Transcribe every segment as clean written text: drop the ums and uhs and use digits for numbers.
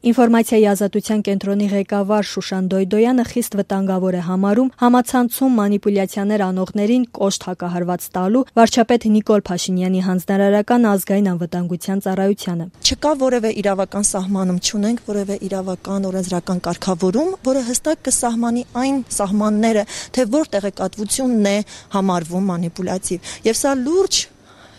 Ինֆորմացիայի ազատության կենտրոնի ղեկավար Շուշան Դոյդոյանը խիստ վտանգավոր է համարում համացանցում մանիպուլյացիաներ անողներին կոշտ հակահարված տալու վարչապետ Նիկոլ Փաշինյանի հանձնարարական ազգային անվտանգության ծառայությանը։ Չկա որևէ իրավական սահմանում, չունենք որևէ իրավական օրենսդրական կարգավորում, որը հստակ կսահմանի այն սահմանները, թե որ տեղեկատվությունն է համարվում մանիպուլյատիվ։ Եվ սա լուրջ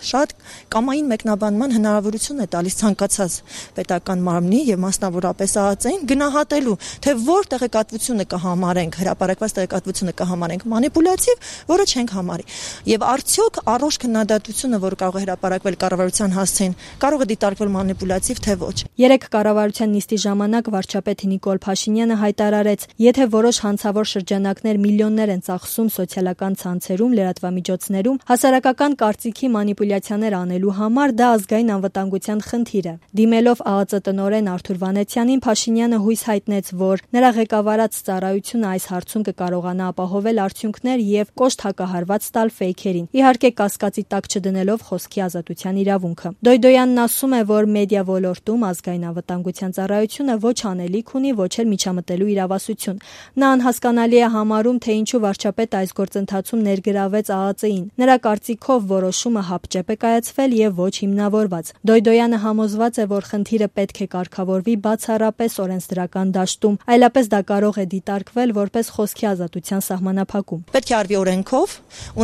շատ կամային մեկնաբանման հնարավորություն է տալիս ցանկացած պետական մարմնի եւ մասնավորապես ԱԱԾ-ին գնահատելու, թե որ տեղեկատվությունը կհամարենք, հրապարակված տեղեկատվությունը կհամարենք մանիպուլյատիվ, որը չենք համարի։ Եվ արդյոք առողջ քննադատությունը, որ կարող է հրապարակվել կառավարության հասցեին, կարող է դիտարկվել մանիպուլյատիվ, թե ոչ։ Երեկ կառավարության նիստի ժամանակ վարչապետ Նիկոլ Փաշինյանը հայտարարեց, եթե որոշ հանցավոր շրջանակներ միլիոններ են ծախսում սոցիալական ցանցերում, լրատվամիջոցներում, հասարակական կարծիքի մանիպուլյացիաներ անելու համար դա ազգային անվտանգության խնդիր է։ Դիմելով ԱԱԾ տնօրեն Արթուր Վանեցյանին, Փաշինյանը հույս հայտնեց, որ նրա ղեկավարած ծառայությունը այս հարցում կկարողանա ապահովել արդյունքներ եւ կոշտ հակահարված տալ ֆեյքերին, իհարկե կասկածի տակ չդնելով խոսքի ազատության իրավունքը։ Դոյդոյանն ասում է, որ մեդիա ոլորտում ազգային անվտանգության ծառայությունը ոչ անելիք ունի, ոչ էլ միջամտելու իրավասություն։ Նա անհասկանալի է համարում, թե ինչու վարչապետը այս գործընթացում ներգրավեց ԱԱԾ-ին։ Նրա կարծիքով որոշումը հապճեպ է կայացվել եւ ոչ հիմնավորված։ Դոյդոյանը համոզված է, որ խնդիրը պետք է կարգավորվի բացառապես օրենսդրական դաշտում, այլապես դա կարող է դիտարկվել որպես խոսքի ազատության սահմանափակում։ Պետք է արվի օրենքով,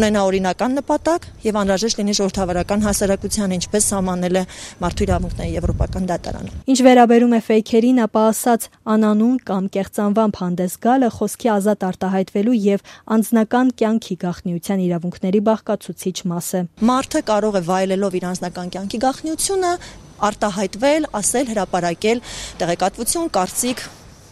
ունենա օրինական նպատակ եւ անհրաժեշտ լինի ժողովրդավարական հասարակության, ինչպես սահմանել է մարդու իրավունքների եվրոպական դատարանը։ Ինչ վերաբերում է ֆեյքերին, ապա ասած անանուն կամ կեղծանվամբ հանդես գալը խոսքի ազատ արտահայտվելու եւ անձնական կյանքի գաղտնիության իրավունքների բաղկացուցիչ մաս է։ Մարդը կարող է վայելելով իր անձնական կյանքի գաղտնիությունը արտահայտվել, ասել, հրապարակել տեղեկատվություն, կարծիք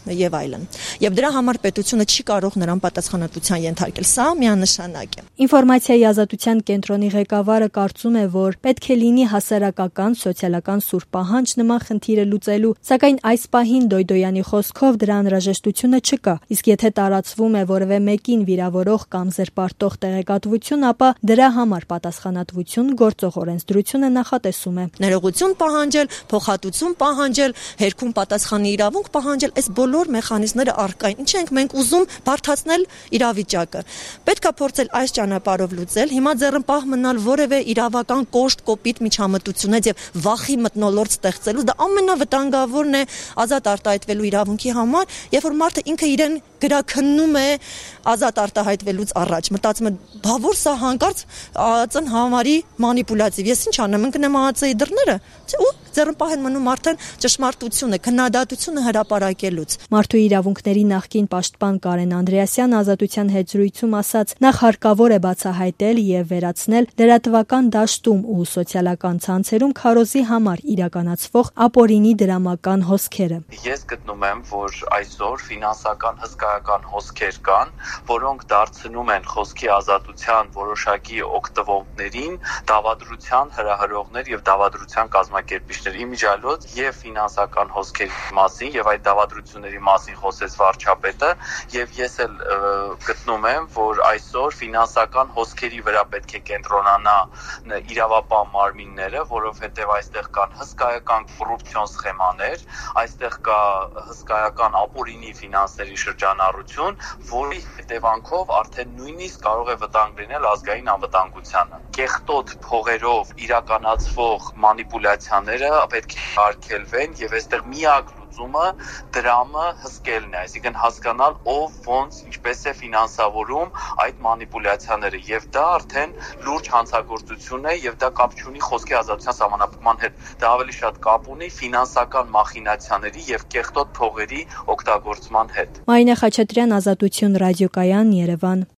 եւ այլն։ Եվ դրա համար պետությունը չի կարող նրան պատասխանատվության ենթարկել։ Սա միանշանակ է։ Ինֆորմացիայի ազատության կենտրոնի ղեկավարը կարծում է, որ պետք է լինի հասարակական, սոցիալական սուր պահանջ նման խնդիրը լուծելու, սակայն այս պահին Դոյդոյանի խոսքով դրա անհրաժեշտությունը չկա։ Իսկ եթե տարածվում է որևէ մեկին վիրավորող կամ զրպարտող տեղեկատվություն, ապա դրա համար պատասխանատվություն գործող օրենսդրությունը նախատեսում է։ Ներողություն պահանջել, փոխհատուցում պահանջել, հերքում պատասխանի իրավունք պահանջել, այս բոլոր մեխանիզմները առկա են։ Ինչ ենք մենք ուզում բարդացնել իրավիճակը։ Պետք է փորձել այս ճանապարհով լուծել, հիմա ձեռնպահ մնալ որևէ իրավական կոշտ կոպիտ միջամտությունից եւ վախի մթնոլորտ ստեղծելու, դա ամենավտանգավորն է ազատ արտահայտվելու իրավունքի համար, երբ որ մարդը ինքը իրեն գրաքննում է ազատ արտահայտվելուց առաջ, մտածում է, բա որ սա հանկարծ ԱԱԾ-ն համարի մանիպուլյատիվ, ես ինչ անեմ, ընկնեմ ԱԱԾ-ի դռները, ու ձեռնպահ են մնում արդեն ճշմարտությունը, քննադատությունը հրապարակելուց։ Մարդու իրավունքների նախկին պաշտպան Կարեն Անդրեասյանը ազատության հետ զրույցում ասաց, նախ հարկավոր է բացահայտել եւ վերացնել լրատվական դաշտում ու սոցիալական ցանցերում քարոզի համար իրականացվող ապօրինի դրամական հոսքերը։ Ես գտնում եմ, որ այսօր ֆինանսական հսկայական հոսքեր կան, որոնք դարձնում են խոսքի ազատության որոշակի օգտվողներին դավադրության հրահրողներ եւ դավադրության կազմակերպիչներ։ Իմիջիալոց եւ ֆինանսական հոսքերի մասին եւ այդ դավադրությունների մասին խոսեց վարչապետը եւ ես էլ գտնում եմ, որ այսօր ֆինանսական հոսքերի վրա պետք է կենտրոնանա իրավապահ մարմինները, որովհետեւ այստեղ կան հսկայական կոռուպցիոն սխեմաներ, այստեղ կա հսկայական ապօրինի ֆինանսների շրջանառություն, որի հետևանքով արդեն նույնիսկ կարող է վտանգ լինել ազգային անվտանգությանը։ Կեղտոտ փողերով իրականացվող մանիպուլյացիաները պետք է արգելվեն եւ այստեղ միակ լուծումը դրամը հսկելն է, այսինքն հասկանալ ով ոնց ինչպես է ֆինանսավորում այդ մանիպուլյացիաները եւ դա արդեն լուրջ հանցագործություն է եւ դա կապ չունի խոսքի ազատության սահմանափակման հետ, դա ավելի շատ կապ ունի ֆինանսական մախինացիաների եւ կեղտոտ փողերի օգտագործման հետ։ Մարինե Խաչատրյան, Ազատություն ռադիոկայան, Երևան։